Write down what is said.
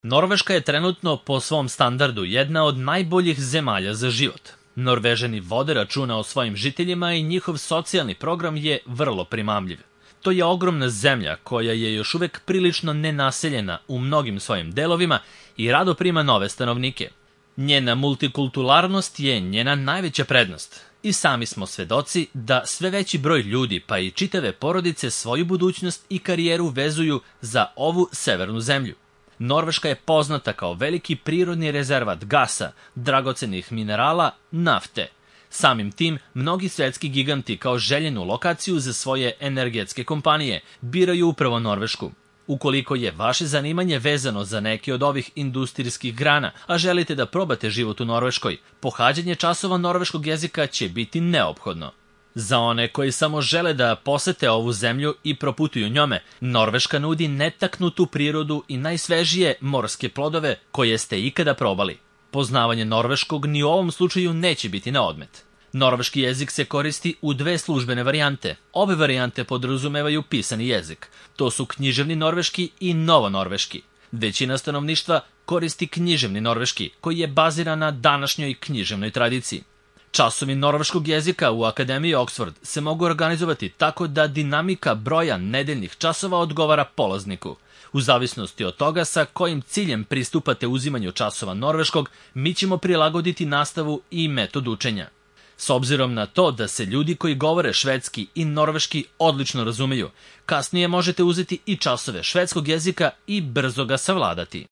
Norveška je trenutno po svom standardu jedna od najboljih zemalja za život. Norvežani vode računa o svojim žiteljima i njihov socijalni program je vrlo primamljiv. To je ogromna zemlja koja je još uvek prilično nenaseljena u mnogim svojim delovima i rado prima nove stanovnike. Njena multikulturalnost je njena najveća prednost. I sami smo svedoci da sve veći broj ljudi, pa i čitave porodice, svoju budućnost i karijeru vezuju za ovu severnu zemlju. Norveška je poznata kao veliki prirodni rezervat gasa, dragocenih minerala, nafte. Samim tim, mnogi svetski giganti kao željenu lokaciju za svoje energetske kompanije biraju upravo Norvešku. Ukoliko je vaše zanimanje vezano za neke od ovih industrijskih grana, a želite da probate život u Norveškoj, pohađanje časova norveškog jezika će biti neophodno. Za one koji samo žele da posete ovu zemlju i proputuju njome, Norveška nudi netaknutu prirodu i najsvežije morske plodove koje ste ikada probali. Poznavanje norveškog ni u ovom slučaju neće biti na odmet. Norveški jezik se koristi u dve službene varijante. Obe varijante podrazumevaju pisani jezik. To su književni norveški i novonorveški. Većina stanovništva koristi književni norveški, koji je baziran na današnjoj književnoj tradiciji. Časovi norveškog jezika u Akademiji Oxford se mogu organizovati tako da dinamika broja nedeljnih časova odgovara polazniku. U zavisnosti od toga sa kojim ciljem pristupate uzimanju časova norveškog, mi ćemo prilagoditi nastavu i metod učenja. S obzirom na to da se ljudi koji govore švedski i norveški odlično razumeju, kasnije možete uzeti i časove švedskog jezika i brzo ga savladati.